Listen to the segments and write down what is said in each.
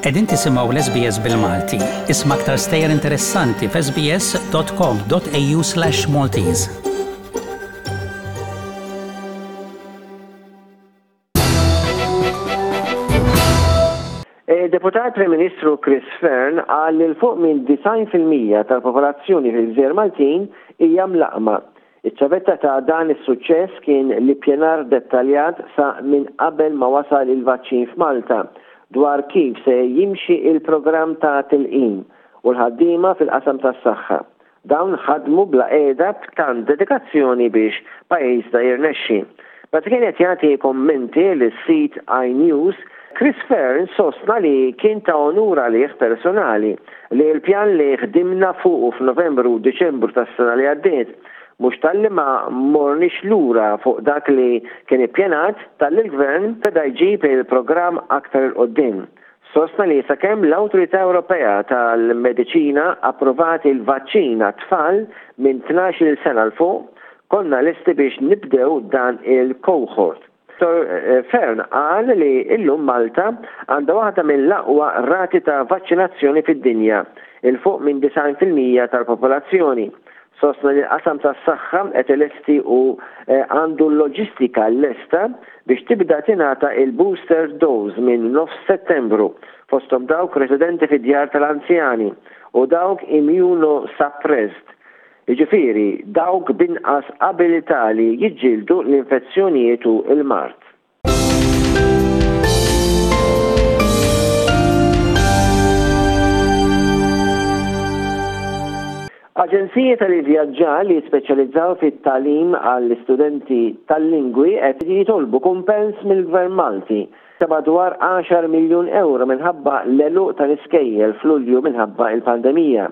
Qegħdin tisimgħu l-SBS bil-Malti. Isma' aktar stejjer interessanti f'sbs.com.au/Maltese. Deputat Prim Ministru Chris Fearne qal li 'l fuq minn 90% tal-popolazzjoni fil-Gżejjer Maltin hija mlaqqma. Iċ-ċavetta ta' dan is-suċċess kien l-ippjanar dettaljat sa minn qabel ma wasal il-vaċċin f'Malta dwar kif se jimxi il-programm ta' tilqim u l-ħaddiema fil-qasam tas-saħħa. Dawn ħadmu bla qiegħda b'tant dedikazzjoni biex pajjiżna jirnexxi. Meta kien qed jagħti kummenti lis-sit iNews, Chris Fearne sostna li kien ta' onur għalih personali li l-pjan li ħdimna fuqu f'Novembru u Diċembru tas-sena li għaddiet, mhux talli ma morniex lura fuq dak li kien ippjanat, talli l-Gvern beda jġib il-programm aktar 'il quddiem. Sostna li sakemm l-Awtorità Ewropea tal-Mediċina approvat il-vaċċin għat-tfal minn 12-il sena 'l fuq, konna lesti biex nibdew dan il-cohort. Dottor Fearne qal li illum Malta għandha waħda mill-aqwa rati ta' vaċċinazzjoni fid-dinja, 'il fuq minn 90% tal-popolazzjoni. Sostna li l-qasam tas-saħħa qed ilesti u għandu l-loġistika lesta biex tibda tingħata il-booster dose minn nofs Settembru, fosthom dawk residenti fi djar tal-anzjani u dawk immunosuppressed, jiġifieri dawk b'inqas abilità li jiġġieldu l-infezzjonijiet u l-mard. Aġenziji tal-ivvjaġġar li jispeċjalizzaw fit-tagħlim għall-istudenti tal-lingwi qed jitolbu kumpens mill-Gvern Malti ta' madwar għaxar miljun ewro minħabba l-għeluq tal-iskejjel f'Lulju minħabba l-pandemija.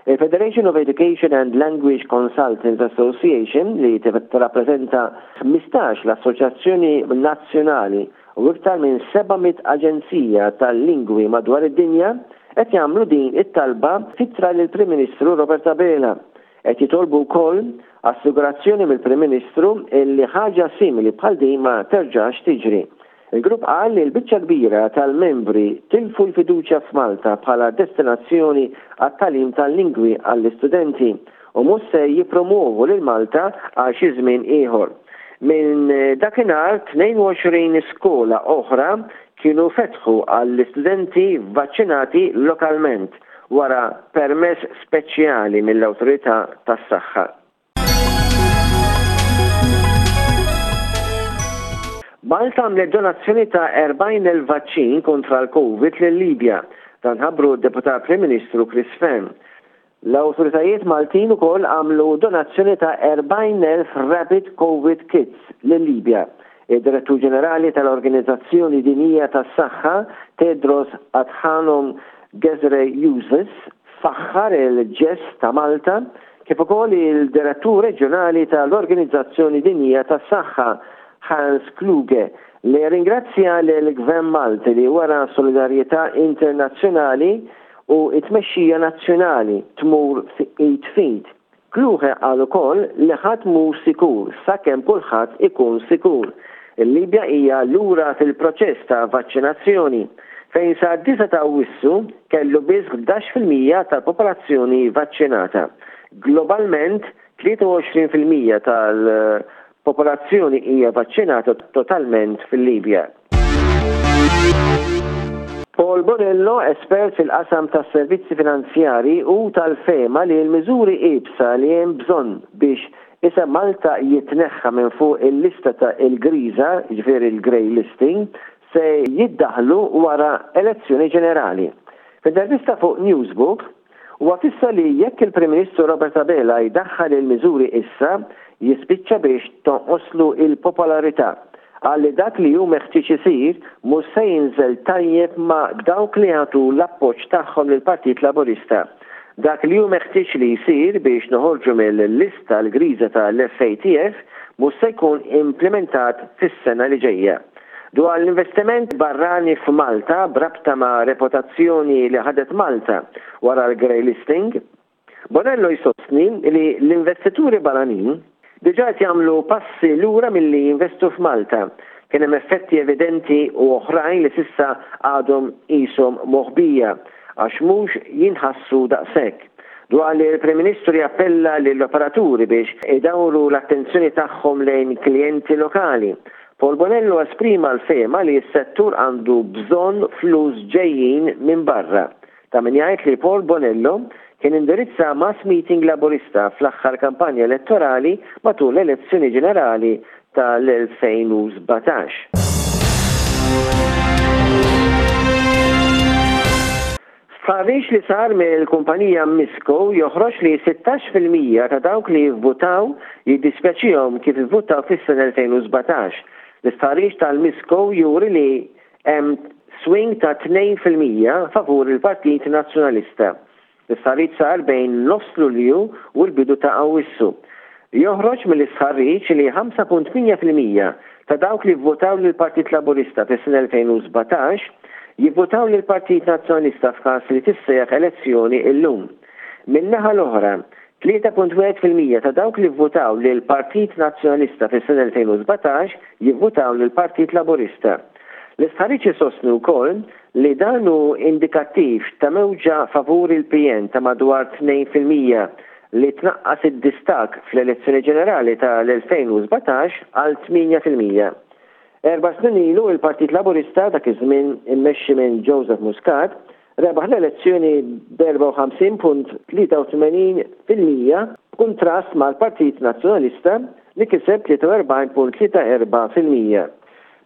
Il-Federation of Education and Language Consultants Association, li tirrappreżenta 15 l-assoċjazzjoni nazzjonali u iktar minn 700 aġenzija tal-lingwi madwar id-dinja, qed jagħmlu din it-talba f'ittra lill-Prim Ministru Robert Abela. Qed jitolbu wkoll assigurazzjoni mill-Prim Ministru li ħaġa simili bħal din ma terġax tiġri. Il-grupp qal li l-biċċa l-kbira tal-membri tilfu l-fiduċja f'Malta bħala destinazzjoni għat-tagħlim tal-lingwi għall-istudenti u mhux se jippromwovu lil Malta għal xi żmien ieħor. Minn dakinhar 22 skola oħra kienu fetħu għall-istudenti vvaċċinati lokalment wara permess speċjali mill-awtorità tas-saħħa. Malta għamlet donazzjoni ta' 40,000 vaċċin kontra l-Covid lil-Libja. Dan ħabbru d-Deputat Prim Ministru Chris Fearne. L-awtoritajiet Maltin ukoll għamlu donazzjoni ta' 40,000 rapid Covid kits lil-Libja. Id-Direttur Ġenerali tal-Organizzazzjoni Dinjija tas-Saħħa, Tedros Adhanom Ghebreyesus, faħħar il-ġest ta' Malta kif ukoll il-Direttur Reġjonali tal-Organizzazzjoni Dinjija tas-Saħħa, Hans Kluge, li rringrazzja lill-Gvern Malti li wera solidarjetà internazzjonali u t-tmexxija nazzjonali tmur id f'id. Kluge qal ukoll li ħadd mhu sikur sakemm kulħadd ikun sikur. Il-Libja hija lura fil-proċess ta' vaċċinazzjoni, fejn sad-disgħa ta' Awwissu kellu biss 11% tal-popolazzjoni vaċċinata. Globalment, 23% tal-popolazzjoni hija vaċċinata totalment fil-Libja. Paul Bonello, espert fil-qasam tas-servizzi finanzjarji, hu tal-fehma li l-miżuri iebsa li hemm bżonn biex isem Malta jitneħħa minn fuq il-lista ta' il-griża, jiġifieri l-grey listing, se jiddaħħlu wara elezzjoni ġenerali. F'intervista fuq Newsbook, Huwa fissa li jekk il-Prim Ministru Robert Abela jdaħħal il-miżuri issa, jispiċċa biex tonqoslu il-popolarità. Qal li dak li hu meħtieġ isir mhux se jinżel tajjeb ma' dawk li jagħtu l-appoġġ tagħhom lill-Partit Laburista. Dak li hu meħtieġ li jsir biex noħorġu mill-lista l-griża tal-FATF mhux se jkun implimentat fis-sena li ġejja. Dwar l-investiment barrani f'Malta b'rabta ma' reputazzjoni li ħadet Malta wara l-grey listing, Bonello jsostni li l-investituri barranin diġà qed jagħmlu passi lura milli jinvestu f'Malta. Kien hemm effetti evidenti u oħrajn li s'issa għadhom qishom moħbija għax mhux jinħassu daqshekk. Dwar li l-Prim Ministru jappella lill-operaturi biex idawru l-attenzjoni tagħhom lejn klijenti lokali, Paul Bonello esprima l-fehma li s-settur għandu bżonn flus ġejjin minn barra. Ta' min jgħid li Paul Bonello kien indirizza mass meeting Laburista fl-aħħar kampanja elettorali matul l-elezzjoni ġenerali tal-2017. Stħarriġ li sar mill-kumpanija Misco joħroġ li 16% ta' dawk li vvutaw jiddispjaċihom kif ivvutaw fis-sena 2017. L-istħarriġ tal-Misco juri li Hemm swing ta' 2% favur il-Partit Nazzjonalista. L-istħarriġ sar bejn nofs Lulju u l-bidu ta' Awwissu. Joħroġ mill-istħarriġ li 5.8% ta' dawk li vvutaw lill-Partit Laburista fis-sena 2017 jivvutaw lill-Partit Nazzjonalista f'każ li tissejjaħ elezzjoni illum. Min-naħa l-oħra, 3.1% ta' dawk li vvutaw lill-Partit Nazzjonalista fis-sena 2017 jivvutaw lill-Partit Laburista. L-istħarriġ isostni wkoll li dan hu indikattiv ta' mewġa favur il-PN ta' madwar 2% li tnaqqas id-distakk fl-elezzjoni ġenerali tal-2017 għal 8%. Erba' snin ilu il-Partit Laburista, dak iż-żmien immexxi minn Joseph Muscat, rebaħ l-elezzjoni b'54.83% b'kuntrast mal-Partit Nazzjonalista li kiseb 43.34%.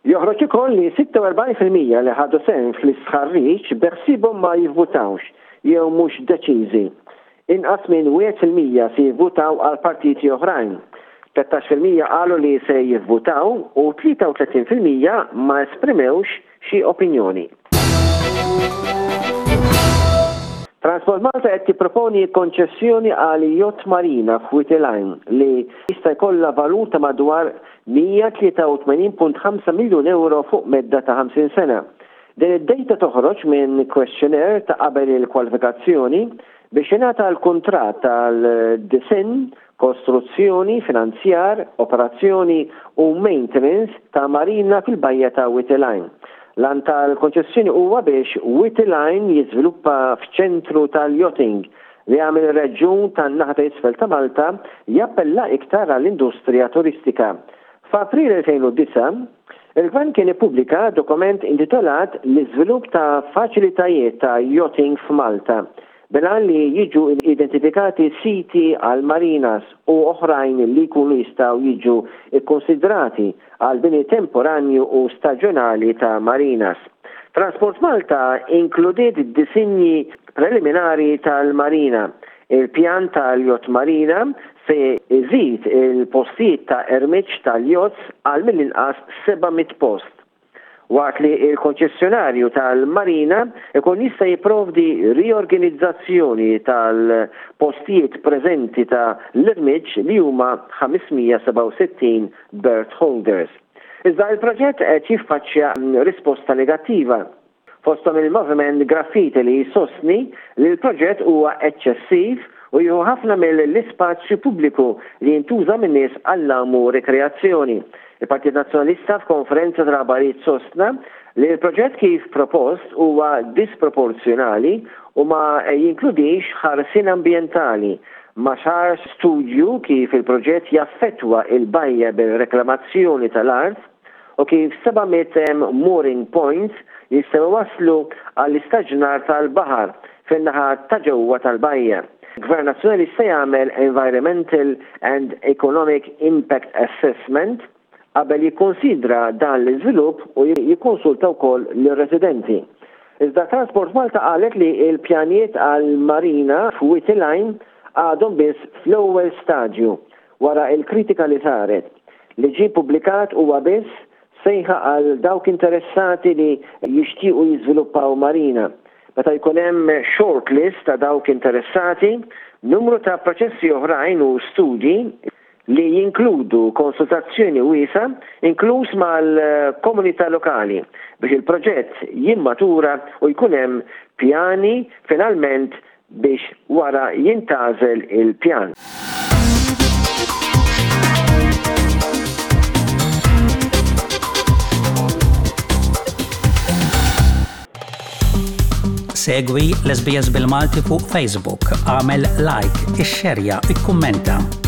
Joħroġ ukoll li 46% li ħadu sehem fl-istħarriġ beħsiebhom ma jivvutawx jew mhux deċiżi. Inqas minn 1% se jivvutaw għal partiti oħrajn. 13% qalu li se jivvutaw u 33% ma esprimewx xi opinjoni. Transport Malta qed tipproponi konċessjoni għal yacht marina f'Wied il-Għajn li jista' jkollha valur ta' madwar 183.5 miljun ewro fuq medda ta' 50 sena. Din id-dejta toħroġ minn questionnaire ta' qabel il-kwalifikazzjoni biex jingħata l-kuntratt għal disinn, kostruzzjoni, finanzjar, operazzjoni u maintenance ta' marina fil-bajja ta' Wied il-Għajn. L-għan tal-konċessjoni huwa biex Wied il-Għajn jiżviluppa f'ċentru tal-yachting li jagħmel ir-reġjun tan-naħa ta' isfel ta' Malta jappella iktar għall-industrija turistika. F'April 2009, Il-Gvern kien ippubblika dokument intitolat L-iżvilupp ta' faċilitajiet ta' yachting f'Malta, bil-għan li jiġu identifikati siti għal marinas u oħrajn li jkunu jistgħu jiġu kkunsidrati għal bini temporanju u staġjonali ta' marinas. Transport Malta inkludiet disinji preliminari tal-marina. Il-pjan tal-yacht marina se jżid il-postijiet ta' ermiġġ tal-yachts għal mill-inqas 700 post, waqt li l-konċessjonarju tal-marina jkun jista' jipprovdi riorganizzazzjoni tal-postijiet preżenti ta' l-irmiġġ li huma 567 berth holders. Iżda il-proġett qed jiffaċċja risposta negattiva. Fosthom il-Moviment Graffiti li jsostni li l-proġett huwa eċċessiv u jieħu ħafna mill-ispazju pubbliku li jintuża min-nies għall-għawm u rikreazzjoni. Il-Partit Nazzjonalista f'konferenza tal-aħbarijiet sostna li l-proġett kif propost huwa disproporzjonali u ma jinkludix ħarsien ambjentali. Ma sarx studju kif il-proġett jaffettwa l-bajja bir-reklamazzjoni tal-art u kif 700 mooring points jistgħu jwasslu għall-istaġnar tal-baħar fin-naħa ta' ġewwa tal-bajja. Gvern Nazzjonalista jagħmel Environmental and Economic Impact Assessment qabel jikkunsidra dan l-iżvilupp u jikkonsulta wkoll lir-residenti. Iżda Transport Malta qalet li l-pjanijiet għall-marina f'Wied il-Għajn għadhom biss fl-ewwel stadju Wara l-kritika li saret, li ġie ppubblikat huwa biss sejħa għal dawk interessati li jixtiequ jiżviluppaw marina. Meta jkun hemm short list ta' dawk interessati, numru ta' proċessi oħrajn u studji li jinkludu konsultazzjoni wiesgħa inkluż mal-komunità lokali biex il-proġett jimmatura u jkun hemm pjani finalment biex wara jintgħażel il-pjan. Segwi l-SBS bil-Malti fuq Facebook, agħmel like, ixxerja, ikkummenta.